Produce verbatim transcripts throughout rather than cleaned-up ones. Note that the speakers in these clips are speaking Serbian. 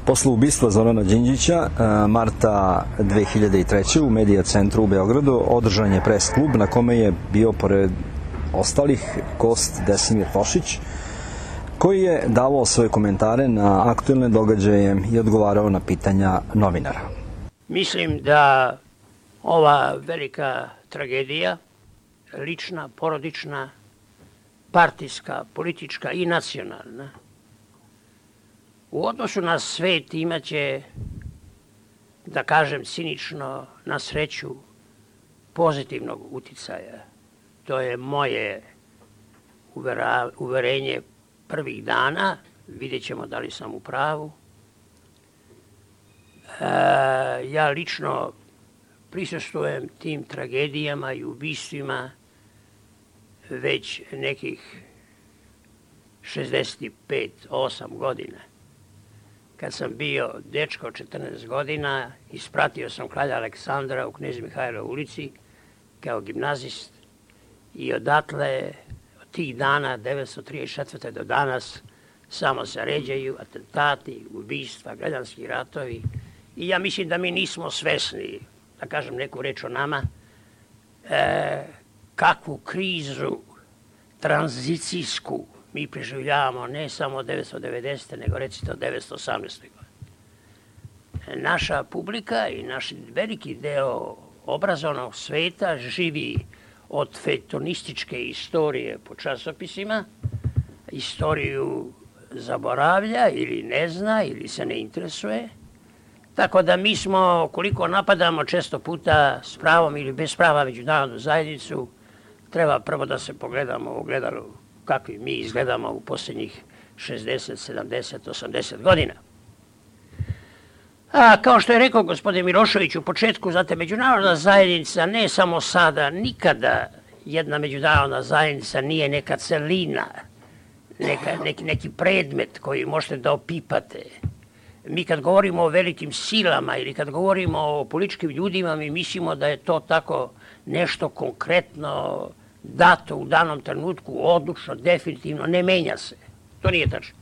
Posle ubistva Zorana Đinđića, marta dve hiljade treće. u Medija centru u Beogradu održan je pres klub na kome je bio, pored ostalih, gost Desimir Tošić, koji je davao svoje komentare na aktuelne događaje i odgovarao na pitanja novinara. Mislim da ova velika tragedija, lična, porodična, partijska, politička i nacionalna, u odnosu na svet imaće, da kažem cinično, na sreću pozitivnog uticaja. To je moje uverenje prvih dana, vidjet ćemo da li sam u pravu. E, ja lično prisustvujem tim tragedijama i ubistvima već nekih šezdeset pet osam godina. Kad sam bio dečko četrnaest godina, ispratio sam kralja Aleksandra u Knez Mihajlovoj ulici kao gimnazist i odatle, od tih dana, devetsto trideset četvrte. do danas, samo se ređaju atentati, ubistva, građanski ratovi. I ja mislim da mi nismo svesni, da kažem neku reč o nama, e, kakvu krizu tranzicijsku mi preživljavamo ne samo od devetsto devedesete. nego recite od devetsto osamnaeste. godine. Naša publika i naš veliki deo obrazovnog sveta živi od fektonističke istorije po časopisima, istoriju zaboravlja ili ne zna ili se ne interesuje. Tako da mi smo, koliko napadamo često puta s pravom ili bez prava međunarodnu zajednicu, treba prvo da se pogledamo u ogledalu kakvi mi izgledamo u posljednjih šezdeset, sedamdeset, osamdeset godina. A kao što je rekao gospodin Milošević u početku, znate, međunarodna zajednica ne samo sada, nikada jedna međunarodna zajednica nije neka celina, neka, neki, neki predmet koji možete da opipate. Mi kad govorimo o velikim silama ili kad govorimo o političkim ljudima, mi mislimo da je to tako nešto konkretno, dato u danom trenutku, odlučno, definitivno, ne menja se. To nije tačno.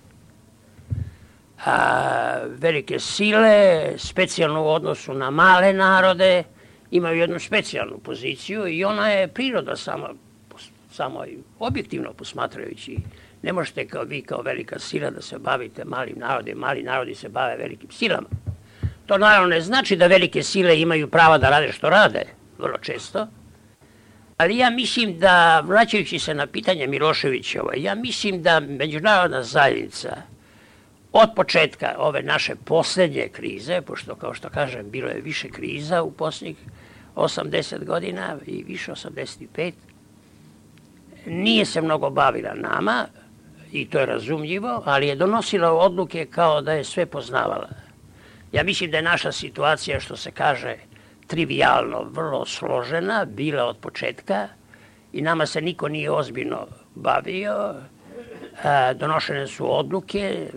A, velike sile, specijalno u odnosu na male narode, imaju jednu specijalnu poziciju i ona je priroda sama, samo objektivno posmatrajući. Ne možete kao vi, kao velika sila, da se bavite malim narodima, mali narodi se bave velikim silama. To naravno ne znači da velike sile imaju prava da rade što rade, vrlo često. Ali ja mislim da, vraćajući se na pitanje Miloševićeva, ja mislim da međunarodna zajednica od početka ove naše posljednje krize, pošto kao što kažem bilo je više kriza u posljednjih osamdeset godina i više osamdeset pet, nije se mnogo bavila nama i to je razumljivo, ali je donosila odluke kao da je sve poznavala. Ja mislim da je naša situacija, što se kaže, trivijalno, vrlo složena, bila od početka i nama se niko nije ozbiljno bavio. Donošene su odluke,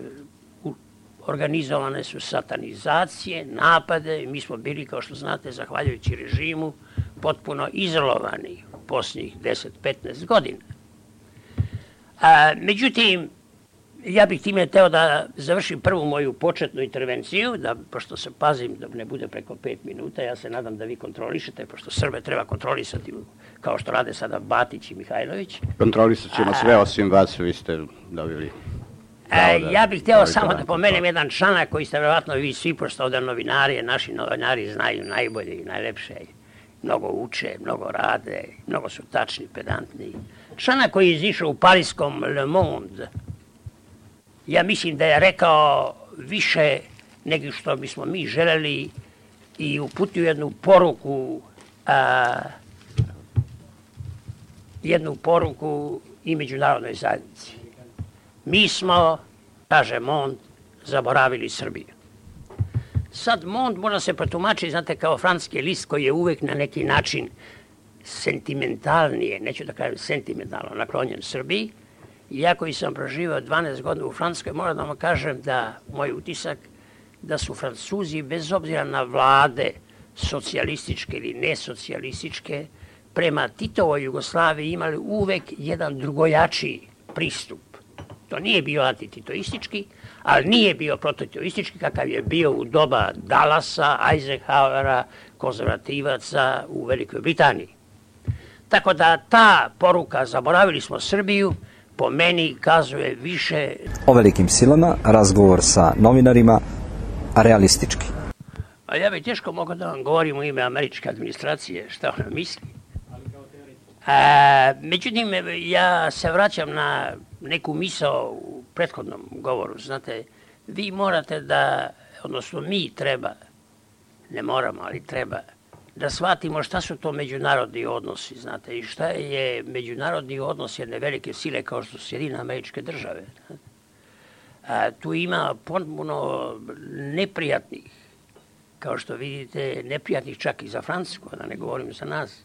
organizovane su satanizacije, napade i mi smo bili, kao što znate, zahvaljujući režimu, potpuno izolovani u posljednjih deset do petnaest godina. A, međutim, ja bih time hteo da završim prvu moju početnu intervenciju, da, pošto se pazim da ne bude preko pet minuta, ja se nadam da vi kontrolišete, pošto Srbe treba kontrolisati kao što rade sada Batić i Mihajlović. Kontrolisat ćemo sve osim vas, vi ste dobili. A, ja bih hteo samo da pomenem jedan članak koji ste verovatno vi svi, pošto ovdje novinari, naši novinari znaju najbolje i najlepše. Mnogo uče, mnogo rade, mnogo su tačni, pedantni. Članak koji je izišao u parijskom Le Monde, ja mislim da je rekao više nego što bismo mi želeli i uputio jednu poruku, a, jednu poruku i međunarodnoj zajednici. Mi smo, kaže Mond, zaboravili Srbiju. Sad Mond može se protumačiti, znate, kao francuski list koji je uvek na neki način sentimentalnije, neću da kažem sentimentalno, naklonjen Srbiji. I ja koji sam proživao dvanaest godina u Francuskoj, moram da vam kažem da moj utisak da su Francuzi, bez obzira na vlade socijalističke ili nesocijalističke, prema Titovoj Jugoslaviji imali uvek jedan drugojačiji pristup. To nije bio antititoistički, ali nije bio prototitoistički kakav je bio u doba Dallasa, Eisenhowera, konzervativaca u Velikoj Britaniji. Tako da ta poruka zaboravili smo Srbiju, po meni kazuje više... O velikim silama, razgovor sa novinarima, realistički. A ja bih teško mogao da vam govorim u ime američke administracije šta ona misli. A, međutim, ja se vraćam na neku misao u prethodnom govoru. Znate, vi morate da, odnosno mi treba, ne moramo, ali treba, da shvatimo šta su to međunarodni odnosi, znate, i šta je međunarodni odnos jedne velike sile kao što su Sjedinjene Američke Države. A, tu ima potpuno neprijatnih, kao što vidite, neprijatnih čak i za Francusku, da ne govorim za nas.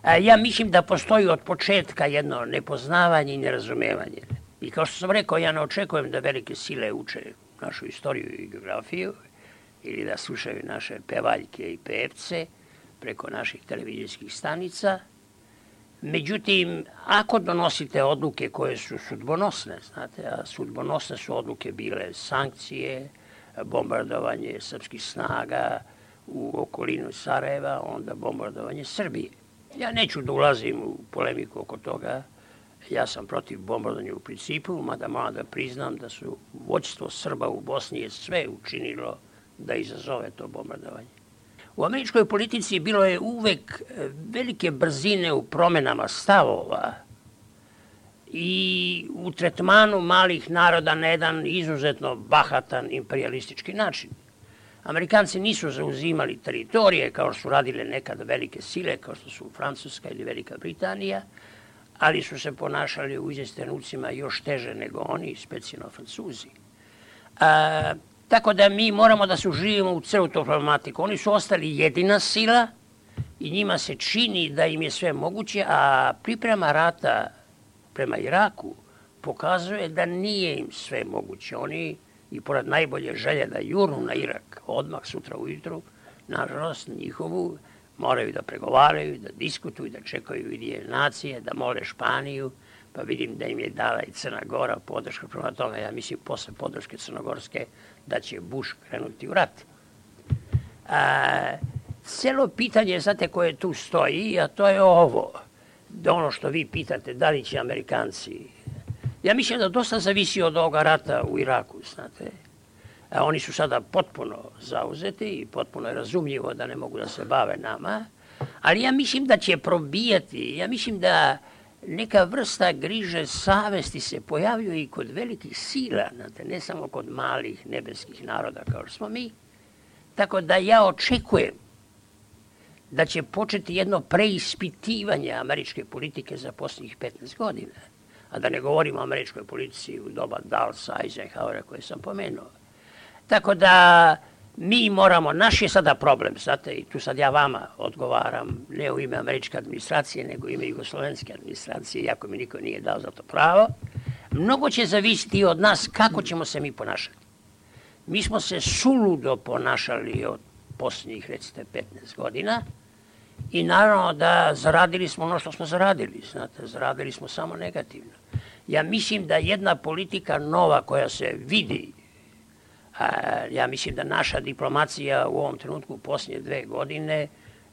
A, ja mislim da postoji od početka jedno nepoznavanje i nerazumevanje. I kao što sam rekao, ja ne očekujem da velike sile uče našu istoriju i geografiju, ili da slušaju naše pevaljke i pevce preko naših televizijskih stanica. Međutim, ako donosite odluke koje su sudbonosne, znate, a sudbonosne su odluke bile sankcije, bombardovanje srpskih snaga u okolinu Sarajeva, onda bombardovanje Srbije. Ja neću da ulazim u polemiku oko toga, ja sam protiv bombardovanja u principu, mada moram da priznam da su vođstvo Srba u Bosni je sve učinilo da izazove to bombardovanje. U američkoj politici bilo je uvek velike brzine u promenama stavova i u tretmanu malih naroda na jedan izuzetno bahatan imperialistički način. Amerikanci nisu zauzimali teritorije kao što su radile nekad velike sile, kao što su Francuska ili Velika Britanija, ali su se ponašali u izvesnim trenucima još teže nego oni, specijalno Francuzi. A, tako da mi moramo da se uživimo u celu tu problematiku. Oni su ostali jedina sila i njima se čini da im je sve moguće, a priprema rata prema Iraku pokazuje da nije im sve moguće. Oni, i pored najbolje želje da jurnu na Irak odmah sutra ujutru, nažalost njihovu, moraju da pregovaraju, da diskutuju, da čekaju Ujedinjene nacije, da mole Španiju, pa vidim da im je dala i Crna Gora podršku. Prema tome, ja mislim, posle podrške crnogorske, da će Bush krenuti u rat. A, celo pitanje, znate, koje tu stoji, a to je ovo, da ono što vi pitate, da li će Amerikanci... Ja mislim da dosta zavisi od ovoga rata u Iraku, znate. A oni su sada potpuno zauzeti i potpuno je razumljivo da ne mogu da se bave nama, ali ja mislim da će probijati, ja mislim da neka vrsta griže savesti se pojavljuje i kod velikih sila, znate, ne samo kod malih nebeskih naroda kao što smo mi. Tako da ja očekujem da će početi jedno preispitivanje američke politike za posljednjih petnaest godina. A da ne govorimo o američkoj politici u doba Dallasa, Eisenhowera koje sam pomenuo. Tako da mi moramo, naš je sada problem, znate, i tu sad ja vama odgovaram, ne u ime američke administracije, nego u ime jugoslovenske administracije, iako mi niko nije dao za to pravo. Mnogo će zavisiti od nas kako ćemo se mi ponašati. Mi smo se suludo ponašali od posljednjih, recite, petnaest godina i naravno da zaradili smo ono što smo zaradili, znate, zaradili smo samo negativno. Ja mislim da jedna politika nova koja se vidi, a, ja mislim da naša diplomacija u ovom trenutku u posljednje dve godine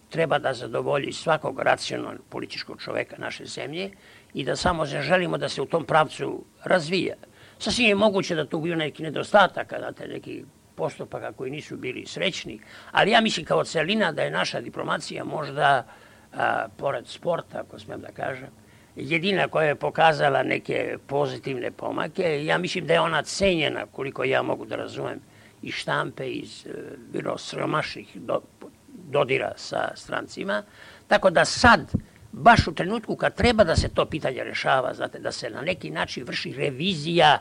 treba da zadovolji svakog racionalnog političkog čoveka naše zemlje i da samo želimo da se u tom pravcu razvija. Sasvim je moguće da tu bio neki nedostataka, znate, neki postupaka koji nisu bili srećni, ali ja mislim kao celina da je naša diplomacija možda, a, pored sporta, ako smijem da kažem, jedina koja je pokazala neke pozitivne pomake. Ja mislim da je ona cenjena, koliko ja mogu da razumem, iz štampe, iz bilo sromašnih do, dodira sa strancima. Tako da sad, baš u trenutku kad treba da se to pitanje rešava, znate, da se na neki način vrši revizija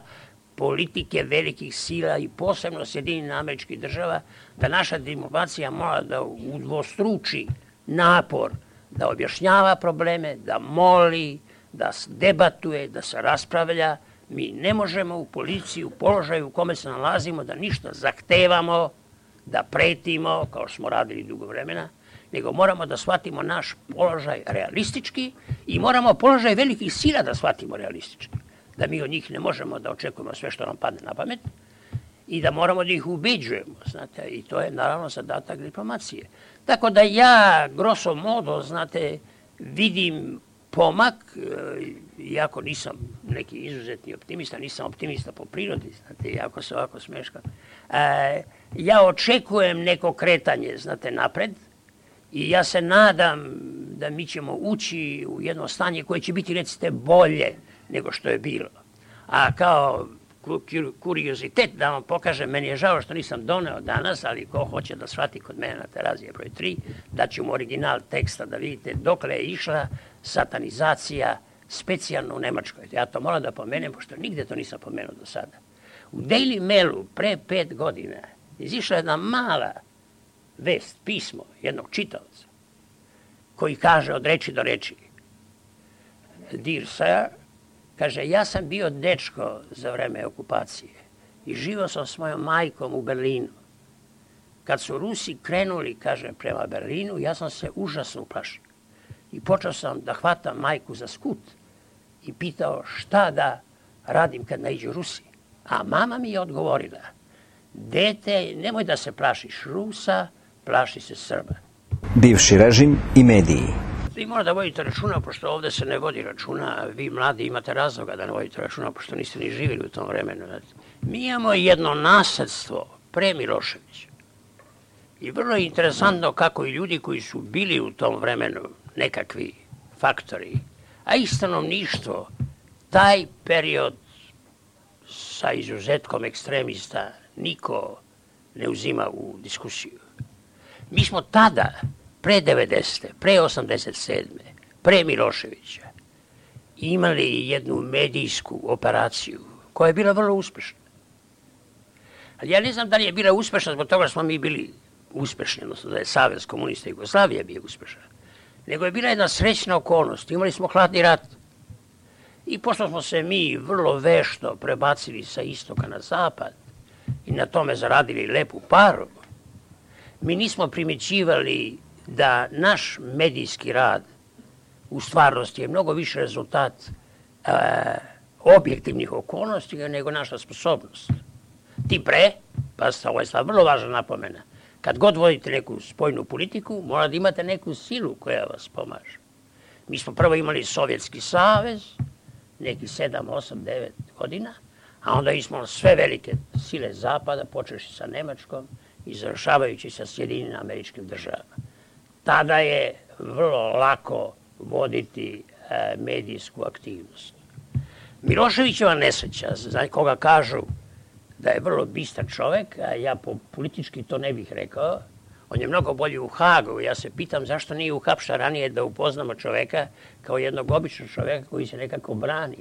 politike velikih sila i posebno Sjedinjenih Američkih Država, da naša diplomacija mora da udvostruči napor, da objašnjava probleme, da moli, da debatuje, da se raspravlja. Mi ne možemo u policiji, u položaju u kome se nalazimo, da ništa zahtevamo, da pretimo, kao smo radili dugo vremena, nego moramo da shvatimo naš položaj realistički i moramo položaj velikih sila da shvatimo realistički. da mi od njih ne možemo da očekujemo sve što nam padne na pamet i da moramo da ih ubeđujemo, znate, i to je naravno zadatak diplomacije. Tako da ja, grosso modo, znate, vidim pomak, iako nisam neki izuzetni optimista, nisam optimista po prirodi, znate, jako se ovako smeškam. E, ja očekujem neko kretanje, znate, napred i ja se nadam da mi ćemo ući u jedno stanje koje će biti, recite, bolje nego što je bilo. A kao kuriozitet da vam pokažem, meni je žao što nisam doneo danas, ali ko hoće da shvati kod mene na Terazije broj tri, da ću mu original teksta da vidite dokle je išla satanizacija specijalno u Nemačkoj. Ja to moram da pomenem, pošto nigde to nisam pomenuo do sada. U Daily Mailu pre pet godina izišla jedna mala vest, pismo jednog čitaoca, koji kaže od reči do reči: Dear sir, kaže, ja sam bio dečko za vreme okupacije i živio sam s mojom majkom u Berlinu. Kad su Rusi krenuli, kaže, prema Berlinu, ja sam se užasno uplašio. I počeo sam da hvatam majku za skut i pitao šta da radim kad naiđu Rusi. A mama mi je odgovorila: dete, nemoj da se plašiš Rusa, plaši se Srba. Bivši režim i mediji. Vi morate da vodite računa, pošto ovde se ne vodi računa, vi mladi imate razloga da ne vodite računa, pošto niste ni živjeli u tom vremenu. Mi imamo jedno nasledstvo pre Miloševića. I vrlo je interesantno kako i ljudi koji su bili u tom vremenu nekakvi faktori, a i stanovništvo, taj period sa izuzetkom ekstremista niko ne uzima u diskusiju. Mi smo tada, pre devedesete, pre osamdeset sedme, pre Miloševića, imali jednu medijsku operaciju koja je bila vrlo uspešna. Ali ja ne znam da li je bila uspešna zbog toga smo mi bili uspešni, odnosno da je Savez komunista Jugoslavije bio uspešan, nego je bila jedna srećna okolnost. Imali smo hladni rat i pošto smo se mi vrlo vešto prebacili sa istoka na zapad i na tome zaradili lepu paru, mi nismo primećivali da naš medijski rad u stvarnosti je mnogo više rezultat e, objektivnih okolnosti nego naša sposobnost. Ti pre, pa ovo je sad vrlo važna napomena, kad god vodite neku spoljnu politiku, mora da imate neku silu koja vas pomaže. Mi smo prvo imali Sovjetski savez, neki sedam, osam, devet godina, a onda smo sve velike sile zapada, počeši sa Nemačkom i završavajući sa Sjedinjenim Američkim Državama. Tada je vrlo lako voditi e, medijsku aktivnost. Miloševićeva nesreća, za koga kažu da je vrlo bistar čovek, a ja po politički to ne bih rekao, on je mnogo bolji u Hagu. Ja se pitam zašto nije uhapšen ranije da upoznamo čoveka kao jednog običnog čoveka koji se nekako brani.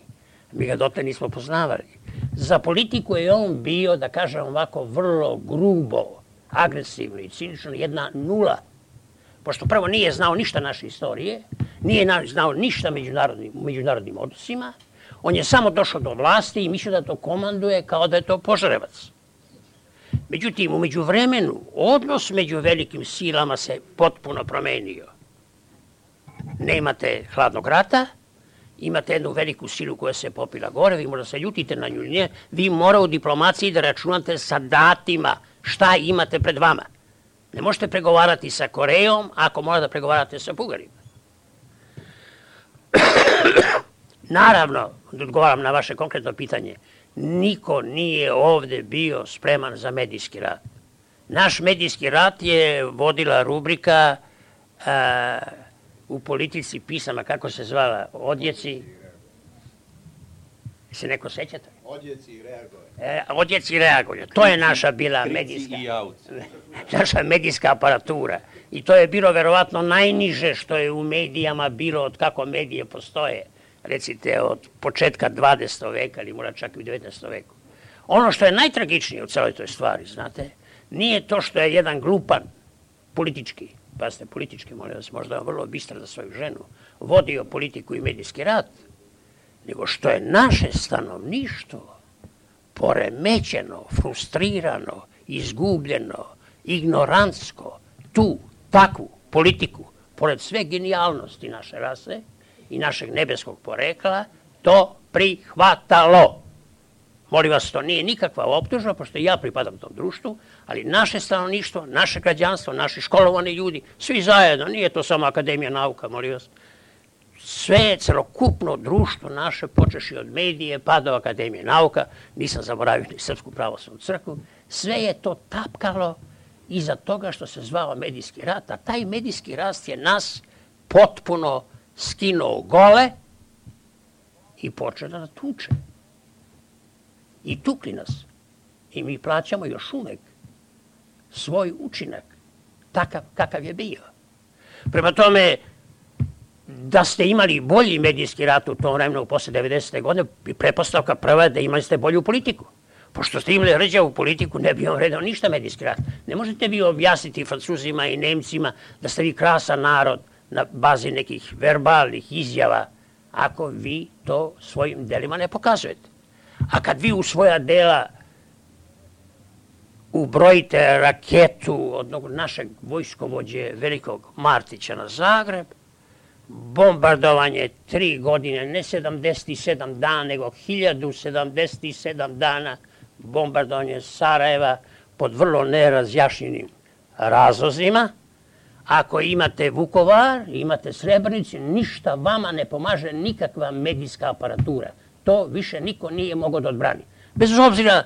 Mi ga dotle nismo poznavali. Za politiku je on bio, da kažem ovako, vrlo grubo, agresivno i cinično, jedna nula. Pošto prvo nije znao ništa naše istorije, nije znao ništa međunarodnim, međunarodnim odnosima, on je samo došao do vlasti i mislio da to komanduje kao da je to Požarevac. Međutim, u međuvremenu, odnos među velikim silama se potpuno promenio. Nemate hladnog rata, imate jednu veliku silu koja se popila gore, vi možda se ljutite na nju, ne, vi mora u diplomaciji da računate sa datima šta imate pred vama. Ne možete pregovarati sa Korejom ako mora da pregovarate sa Bugarima. Naravno, da odgovaram na vaše konkretno pitanje, niko nije ovde bio spreman za medijski rad. Naš medijski rad je vodila rubrika a, u politici pisama, kako se zvala, Odjeci. Se neko sećate? Odjeci i reagovanje. E, odjeci i reagovanje. To je naša bila medijska, naša medijska aparatura. I to je bilo verovatno najniže što je u medijama bilo od kako medije postoje. Recite od početka dvadesetog veka ili možda čak i u devetnaestom veku. Ono što je najtragičnije u celoj toj stvari, znate, nije to što je jedan glupan politički, pa ste politički, molim vas, možda je vrlo bistar za svoju ženu, vodio politiku i medijski rad, nego što je naše stanovništvo poremećeno, frustrirano, izgubljeno, ignorantsko, tu, takvu politiku, pored sve genijalnosti naše rase i našeg nebeskog porekla, to prihvatalo. Molim vas, to nije nikakva optužba, pošto ja pripadam tom društvu, ali naše stanovništvo, naše građanstvo, naši školovani ljudi, svi zajedno, nije to samo Akademija nauka, molim vas, sve je celokupno društvo naše, počeši od medije, pa do Akademije nauka, nisam zaboravio ni Srpsku pravoslavnu crkvu, sve je to tapkalo iza toga što se zvao medijski rat, a taj medijski rat je nas potpuno skinuo gole i počeo da tuče. I tukli nas. I mi plaćamo još uvek svoj učinak, takav kakav je bio. Prema tome, da ste imali bolji medijski rat u tom vremenu posle devedesete godine, pretpostavka prva je da imali ste bolju politiku. Pošto ste imali rđavu politiku, ne bi vam redao ništa medijski rat. Ne možete vi objasniti Francuzima i Nemcima da ste vi krasan narod na bazi nekih verbalnih izjava, ako vi to svojim delima ne pokazujete. A kad vi u svoja dela ubrojite raketu od našeg vojskovođe velikog Martića na Zagreb, bombardovanje tri godine, ne sedamdeset sedam dana, nego hiljadu sedamdeset sedam dana, bombardovanje Sarajeva pod vrlo nerazjašnjenim razlozima. Ako imate Vukovar, imate Srebrenicu, ništa vama ne pomaže nikakva medijska aparatura. To više niko nije mogao da odbrani. Bez obzira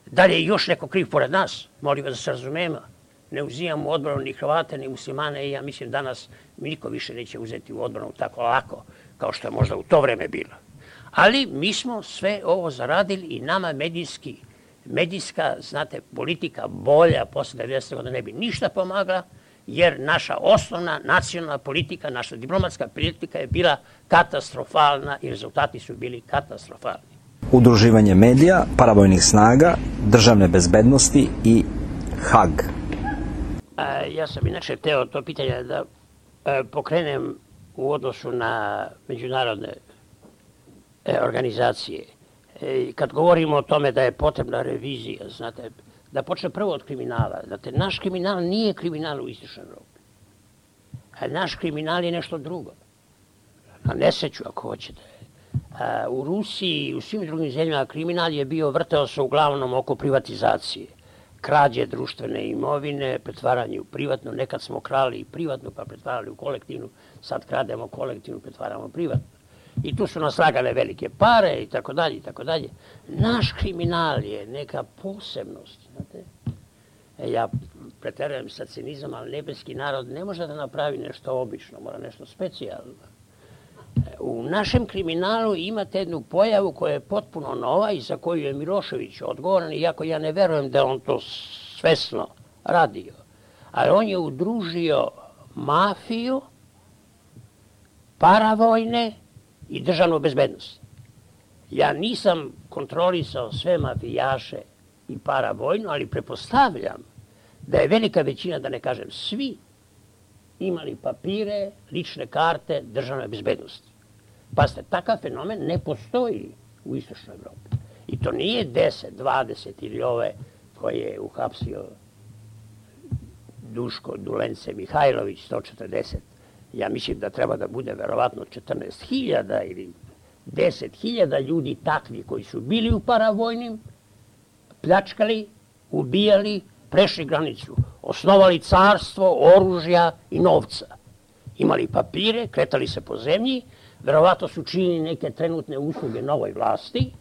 da li je još neko kriv pored nas, molim vas da se razumemo, ne uzimamo u odbranu ni Hrvate, ni muslimane i ja mislim danas mi niko više neće uzeti u odbranu tako lako kao što je možda u to vreme bilo. Ali mi smo sve ovo zaradili i nama medijski, medijska, znate, politika bolja posle devedesete godine ne bi ništa pomagala, jer naša osnovna nacionalna politika, naša diplomatska politika je bila katastrofalna i rezultati su bili katastrofalni. Udruživanje medija, paravojnih snaga, državne bezbednosti i Hag. A, ja sam inače hteo to pitanje da a, pokrenem u odnosu na međunarodne e, organizacije. E, kad govorimo o tome da je potrebna revizija, znate, da počne prvo od kriminala. Znate, naš kriminal nije kriminal u istočnoj Evropi. A naš kriminal je nešto drugo. Na nesreću, ako hoćete. A, u Rusiji i u svim drugim zemljama kriminal je bio, vrteo se uglavnom oko privatizacije. Krađe društvene imovine, pretvaranje u privatno. Nekad smo krali i privatno, pa pretvarali u kolektivnu. Sad krademo kolektivnu, pretvaramo privatno. I tu su nas lagale velike pare i tako dalje i tako dalje. Naš kriminal je neka posebnost, znate. E, ja preterujem sa cinizam, ali nebeski narod ne može da napravi nešto obično, mora nešto specijalno. E, u našem kriminalu imate jednu pojavu koja je potpuno nova i za koju je Milošević odgovoran, iako ja ne verujem da on to svesno radio. Ali on je udružio mafiju, paravojne i državnu bezbednost. Ja nisam kontrolisao sve mafijaše i paravojnu, ali prepostavljam da je velika većina, da ne kažem svi, imali papire, lične karte državne bezbednosti. Pazite, takav fenomen ne postoji u istočnoj Evropi. I to nije deset, dvadeset ili ove koje je uhapsio Duško Dulence Mihajlović, sto četrdeset. Ja mislim da treba da bude verovatno četrnaest hiljada ili deset hiljada ljudi takvi koji su bili u paravojnim, pljačkali, ubijali, prešli granicu, osnovali carstvo, oružja i novca. Imali papire, kretali se po zemlji, verovatno su činili neke trenutne usluge novoj vlasti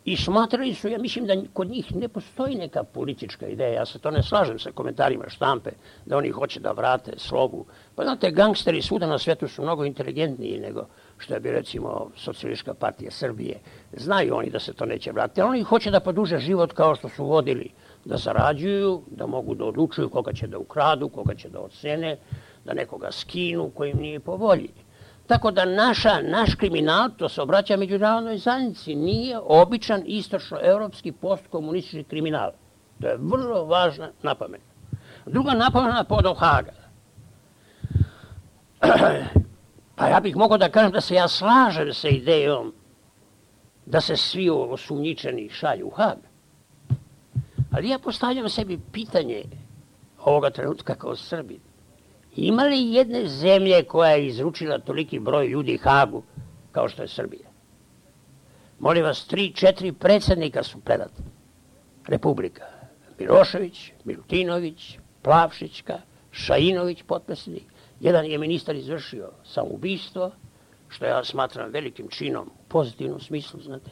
i smatrali su, ja mislim da kod njih ne postoji neka politička ideja, ja se to ne slažem sa komentarima štampe, da oni hoće da vrate slogu. Pa znate, gangsteri svuda na svetu su mnogo inteligentniji nego što je bi recimo Socijalistička partija Srbije. Znaju oni da se to neće vratiti, ali oni hoće da produže život kao što su vodili, da zarađuju, da mogu da odlučuju koga će da ukradu, koga će da ocene, da nekoga skinu koji im nije po volji. Tako da naša, naš kriminal, to se obraća međunarodnoj zajednici, nije običan istočnoevropski postkomunistički kriminal. To je vrlo važna napomena. Druga napomena pod Haga. Pa ja bih mogao da kažem da se ja slažem sa idejom da se svi osumnjičeni šalju u Hag. Ali ja postavljam sebi pitanje ovoga trenutka kao Srbin. Ima li jedne zemlje koja je izručila toliki broj ljudi Hagu kao što je Srbija? Molim vas, tri, četiri predsjednika su predati. Republika. Milošević, Milutinović, Plavšićka, Šainović, potpredsjednik. Jedan je ministar izvršio samoubistvo, što ja smatram velikim činom u pozitivnom smislu, znate.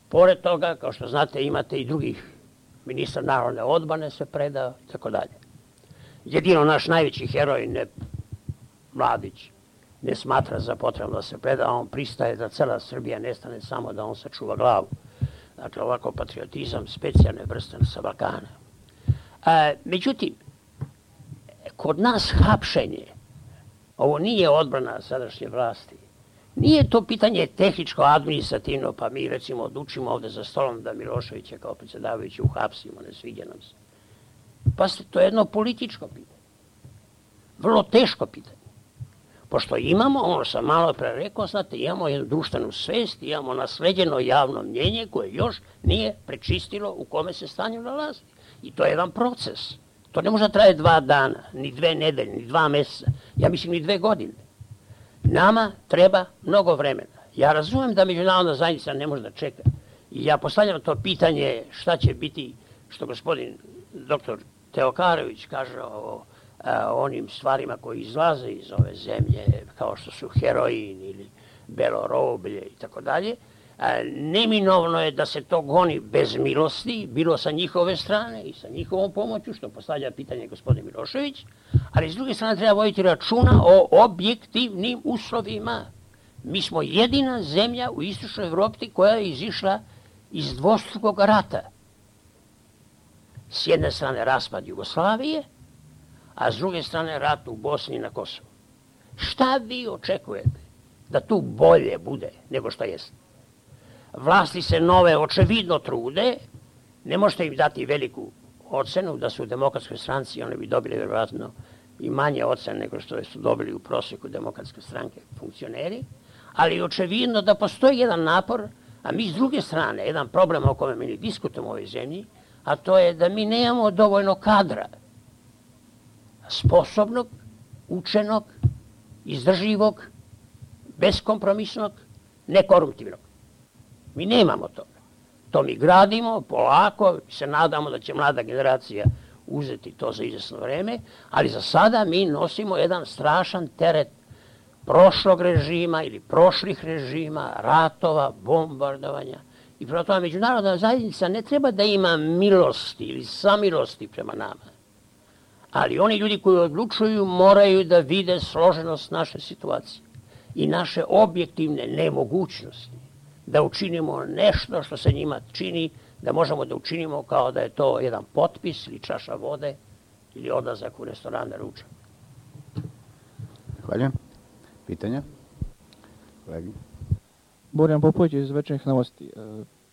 Pored toga, kao što znate, imate i drugih. Ministar narodne odbrane se predao i tako dalje. Jedino naš najveći heroj, ne, Mladić, ne smatra za potrebno da se preda, a on pristaje da cela Srbija nestane, samo da on sačuva glavu. Dakle, ovako patriotizam specijalne vrste sa Balkana. A, međutim, kod nas hapšenje, ovo nije odbrana sadašnje vlasti, nije to pitanje tehničko-administrativno, pa mi recimo odlučimo ovde za stolom da Miloševića kao predsjedavajući uhapsimo, ne sviđa nam se. Pa to je jedno političko pitanje. Vrlo teško pitanje. Pošto imamo, ono sam malo pre rekao, znate, imamo jednu društvenu svest, imamo nasleđeno javno mnjenje koje još nije prečistilo u kome se stanju nalazi. I to je jedan proces. To ne može da traje dva dana, ni dve nedelje, ni dva meseca, ja mislim ni dve godine. Nama treba mnogo vremena. Ja razumem da međunarodna zajednica ne može da čeka. I ja postavljam to pitanje šta će biti, što gospodin doktor Teokarović kaže o a, onim stvarima koji izlaze iz ove zemlje, kao što su heroin ili belo roblje i tako dalje. Neminovno je da se to goni bez milosti, bilo sa njihove strane i sa njihovom pomoću, što postavlja pitanje gospodin Milošević, ali s druge strane treba voditi računa o objektivnim uslovima. Mi smo jedina zemlja u istočnoj Evropi koja je izišla iz dvostrukog rata. S jedne strane raspad Jugoslavije, a s druge strane rat u Bosni i na Kosovu. Šta vi očekujete da tu bolje bude nego što jeste? Vlasti se nove očevidno trude, ne možete im dati veliku ocenu da su u demokratskoj stranci, one bi dobili vjerojatno i manje ocene nego što su dobili u prosjeku demokratske stranke funkcioneri, ali očevidno da postoji jedan napor, a mi s druge strane, jedan problem o kome mi ne diskutujemo u ovoj zemlji, a to je da mi nemamo dovoljno kadra, sposobnog, učenog, izdržljivog, beskompromisnog, nekoruptivnog. Mi nemamo toga. To mi gradimo polako, se nadamo da će mlada generacija uzeti to za izvesno vreme, ali za sada mi nosimo jedan strašan teret prošlog režima ili prošlih režima, ratova, bombardovanja. I prema tome međunarodna zajednica ne treba da ima milosti ili samilosti prema nama. Ali oni ljudi koji odlučuju moraju da vide složenost naše situacije i naše objektivne nemogućnosti da učinimo nešto što se njima čini da možemo da učinimo kao da je to jedan potpis ili čaša vode ili odlazak u restoran na ručak. Hvala. Pitanja? Kolegi. Borjan Popović iz Večernjih novosti.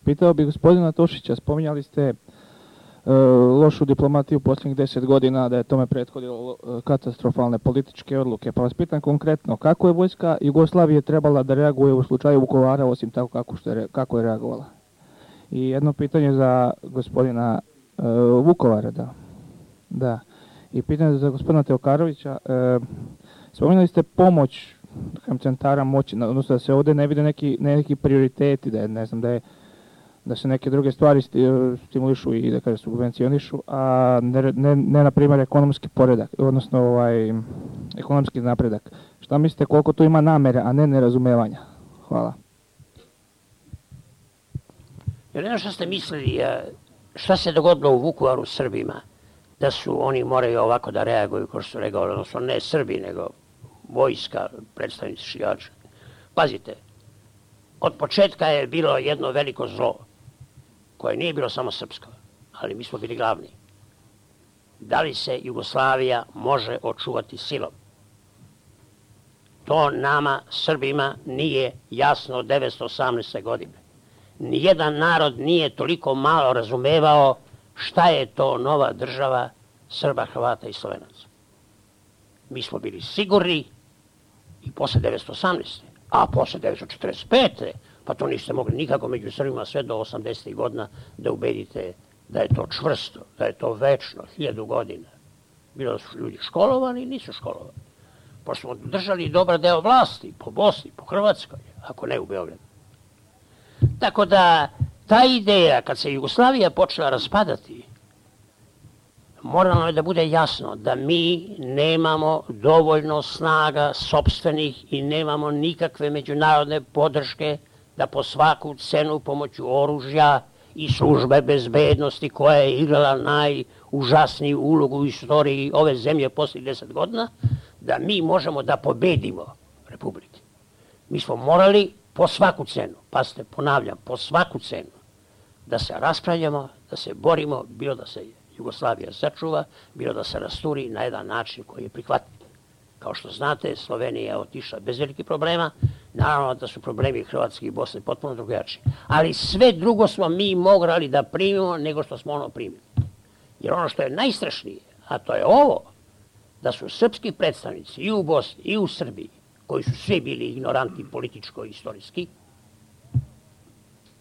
Pitao bih gospodina Tošića, spominjali ste lošu diplomatiju posljednjih deset godina, da je tome prethodilo katastrofalne političke odluke. Pa vas pitam konkretno, kako je vojska Jugoslavije trebala da reaguje u slučaju Vukovara, osim tako kako, što je, kako je reagovala? I jedno pitanje za gospodina uh, Vukovara, da. da. I pitanje za gospodina Teokarovića. Uh, spominjali ste pomoć centara moći, odnosno da se ovdje ne vide neki, neki prioriteti, da je, ne znam, da je da se neke druge stvari stimulišu i da kaže subvencionišu, a ne, ne, ne na primjer ekonomski poredak, odnosno ovaj, ekonomski napredak. Šta mislite koliko tu ima namere, a ne nerazumevanja? Hvala. Jer ne što ste mislili, šta se dogodilo u Vukovaru Srbima, da su oni moraju ovako da reaguju, kao što su rekao, odnosno ne Srbi, nego vojska, predstavnici šijača. Pazite, od početka je bilo jedno veliko zlo, koje nije bilo samo srpsko, ali mi smo bili glavni. Da li se Jugoslavija može očuvati silom? To nama, Srbima, nije jasno od devetsto osamnaeste. godine. Nijedan narod nije toliko malo razumevao šta je to nova država Srba, Hrvata i Slovenaca. Mi smo bili sigurni i posle devetsto osamnaeste. A posle devetsto četrdeset pete. pa to niste mogli nikako među Srbima sve do osamdesetih godina da ubedite da je to čvrsto, da je to večno, hiljadu godina. Bilo da su ljudi školovani i nisu školovani. Pošto smo držali dobar deo vlasti po Bosni, po Hrvatskoj, ako ne u Beogradu. Tako da ta ideja, kad se Jugoslavija počela raspadati, moralo je da bude jasno da mi nemamo dovoljno snaga sopstvenih i nemamo nikakve međunarodne podrške da po svaku cenu pomoću oružja i službe bezbednosti koja je igrala najužasniju ulogu u istoriji ove zemlje poslije deset godina, da mi možemo da pobedimo Republike. Mi smo morali po svaku cenu, pazite, ponavljam, po svaku cenu, da se raspravljamo, da se borimo, bilo da se Jugoslavija sačuva, bilo da se rasturi na jedan način koji je prihvatljiv. Kao što znate, Slovenija je otišla bez velikih problema, naravno da su problemi Hrvatske i Bosne potpuno drugačiji. Ali sve drugo smo mi mogli da primimo nego što smo ono primili. Jer ono što je najstrašnije, a to je ovo, da su srpski predstavnici i u Bosni i u Srbiji, koji su svi bili ignoranti političko-istorijski,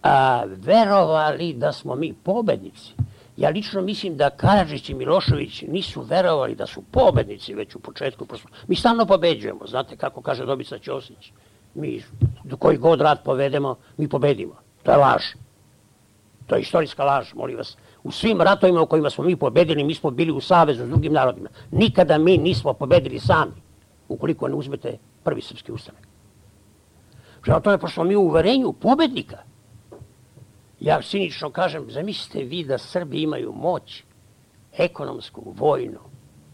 a verovali da smo mi pobednici. Ja lično mislim da Karadžić i Milošević nisu verovali da su pobednici već u početku. Mi stalno pobeđujemo, znate kako kaže Dobrica Ćosić. Mi, koji god rat povedemo, mi pobedimo. To je laž. To je istorijska laž, molim vas. U svim ratovima u kojima smo mi pobedili, mi smo bili u savezu s drugim narodima. Nikada mi nismo pobedili sami, ukoliko ne uzmete prvi srpski ustanak. Prema tome, pošto smo mi u uverenju pobednika, ja cinično kažem, zamislite vi da Srbi imaju moć ekonomsku, vojnu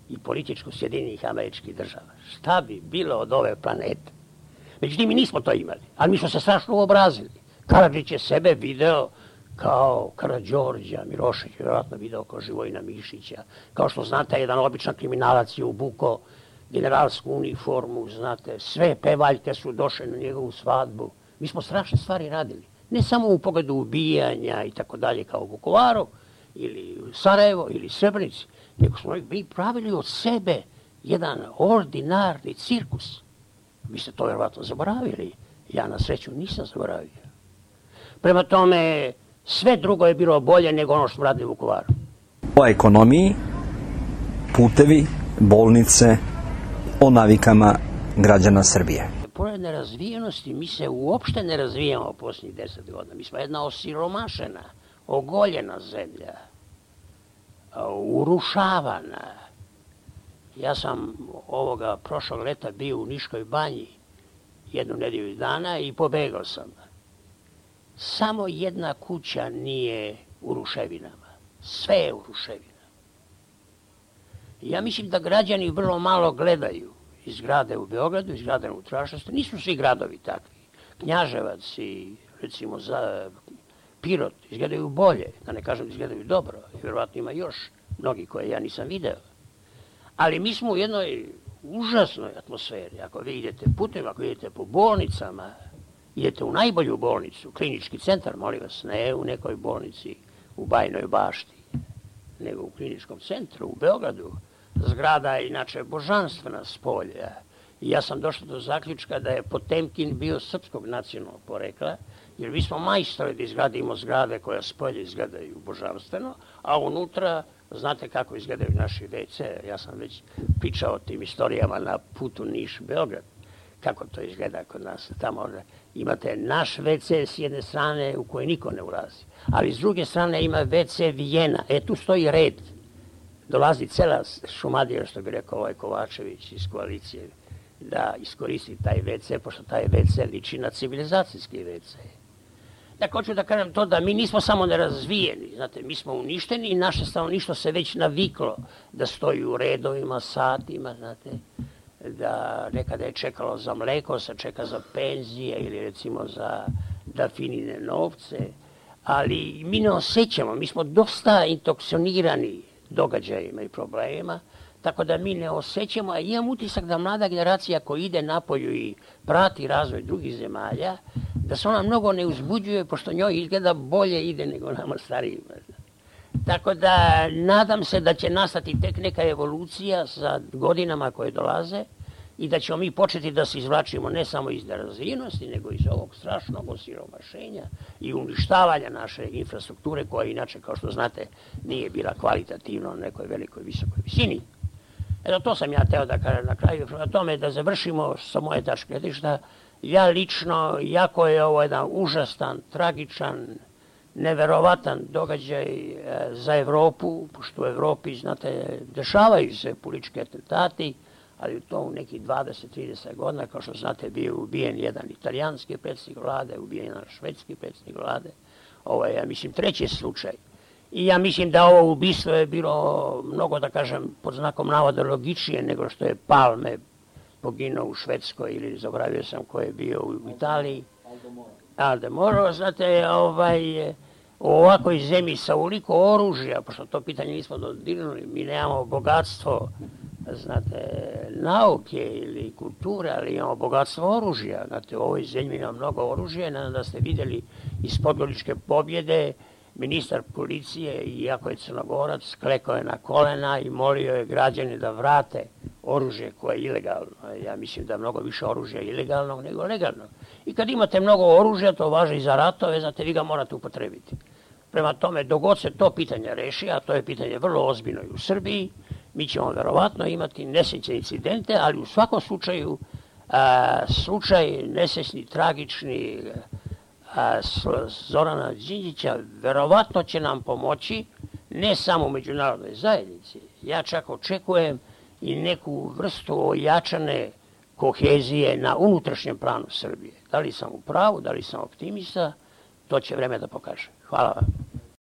i političku Sjedinjenih Američkih Država. Šta bi bilo od ove planete? Međutim, mi nismo to imali, ali mi smo se strašno uobrazili. Karadžić je sebe video kao Karađorđa, Milošević je vjerojatno video kao Živojina Mišića. Kao što znate, jedan običan kriminalac je obuko generalsku uniformu, znate, sve pevaljke su došle na njegovu svadbu. Mi smo strašne stvari radili. Ne samo u pogledu ubijanja i tako dalje kao u Vukovaru ili u Sarajevo ili Srebrenici, nego smo mi pravili od sebe jedan ordinarni cirkus. Vi ste to vjerovatno zaboravili. Ja na sreću nisam zaboravio. Prema tome, sve drugo je bilo bolje nego ono što smo radili u Vukovaru. O ekonomiji, putevi, bolnice, o navikama građana Srbije. Pored nerazvijenosti, mi se uopšte ne razvijamo posljednjih deset godina. Mi smo jedna osiromašena, ogoljena zemlja, urušavana. Ja sam ovoga prošlog leta bio u Niškoj banji jednu nedjelju dana i pobegao sam. Samo jedna kuća nije u ruševinama. Sve je u ruševinama. Ja mislim da građani vrlo malo gledaju iz zgrade u Beogradu, iz zgrade u unutrašnjosti. Nisu svi gradovi takvi. Knjaževac i recimo za Pirot izgledaju bolje, da ne kažem da izgledaju dobro. Vjerovatno ima još mnogi koje ja nisam video. Ali mi smo u jednoj užasnoj atmosferi. Ako vi idete putem, ako idete po bolnicama, idete u najbolju bolnicu, klinički centar, molim vas, ne u nekoj bolnici u Bajnoj Bašti, nego u kliničkom centru u Beogradu. Zgrada je inače božanstvena s polja. I ja sam došao do zaključka da je Potemkin bio srpskog nacionalnog porekla, jer mi smo majstori da izgradimo zgrade koje s polja izgledaju božanstveno, a unutra, znate kako izgledaju naši ve ce. Ja sam već pričao o tim istorijama na putu Niš-Beograd. Kako to izgleda kod nas. Tamo imate naš ve ce s jedne strane u koje niko ne ulazi, ali s druge strane ima ve ce Vijena. E, tu stoji red. Dolazi cela Šumadija, što bi rekao ovaj Kovačević iz koalicije, da iskoristi taj ve ce, pošto taj ve ce liči na civilizacijski ve ce. Dakle, hoću da kažem to da mi nismo samo nerazvijeni, znate, mi smo uništeni i naše stanovništvo se već naviklo da stoji u redovima, satima, znate, da nekada je čekalo za mleko, sad čeka za penzije ili recimo za dafinine novce, ali mi ne osjećamo, mi smo dosta intoksionirani događajima i problemima, tako da mi ne osjećamo, a imam utisak da mlada generacija koja ide napolju i prati razvoj drugih zemalja, da se ona mnogo ne uzbuđuje, pošto njoj izgleda bolje ide nego nama starijima. Tako da nadam se da će nastati tek neka evolucija sa godinama koje dolaze i da ćemo mi početi da se izvlačimo ne samo iz nerazvijenosti, nego iz ovog strašnog osiromašenja i uništavanja naše infrastrukture, koja inače, kao što znate, nije bila kvalitativno na nekoj velikoj, visokoj visini. Eto, to sam ja teo da kažem na kraju. Prema tome, da završimo sa moje tačke gledišta, ja lično, jako je ovo jedan užasan, tragičan, neverovatan događaj za Evropu, pošto u Evropi, znate, dešavaju se politički atentati, ali u to u nekih dvadeset do trideset godina, kao što znate, bio ubijen jedan italijanski predsjednik vlade, ubijen jedan švedski predsjednik vlade. Ovo je, ja mislim, treći slučaj. I ja mislim da ovo ubistvo je bilo mnogo, da kažem, pod znakom navoda logičnije nego što je Palme poginuo u Švedskoj ili zaboravio sam ko je bio u Italiji. Aldo Moro, znate, ovaj, u ovakvoj zemlji sa ovoliko oružja, pošto to pitanje nismo dodirnuli, mi nemamo bogatstvo, znate, nauke ili kulture, ali imamo bogatstvo oružja. Znate, u ovoj zemlji ima mnogo oružja, nadam da ste vidjeli iz Podgoričke pobjede, ministar policije, iako je Crnogorac, klekao je na kolena i molio je građane da vrate oružje koje je ilegalno. Ja mislim da je mnogo više oružja ilegalnog nego legalnog. I kad imate mnogo oružja, to važi i za ratove, znate, vi ga morate upotrebiti. Prema tome, dok god se to pitanje reši, a to je pitanje vrlo ozbiljno i u Srbiji, mi ćemo verovatno imati nesrećne incidente, ali u svakom slučaju, a, slučaj nesrećni, tragični, a, Zorana Đinđića verovatno će nam pomoći, ne samo u međunarodnoj zajednici. Ja čak očekujem i neku vrstu ojačane kohezije na unutrašnjem planu Srbije. Da li sam u pravu, da li sam optimista, to će vreme da pokaže. Hvala vam.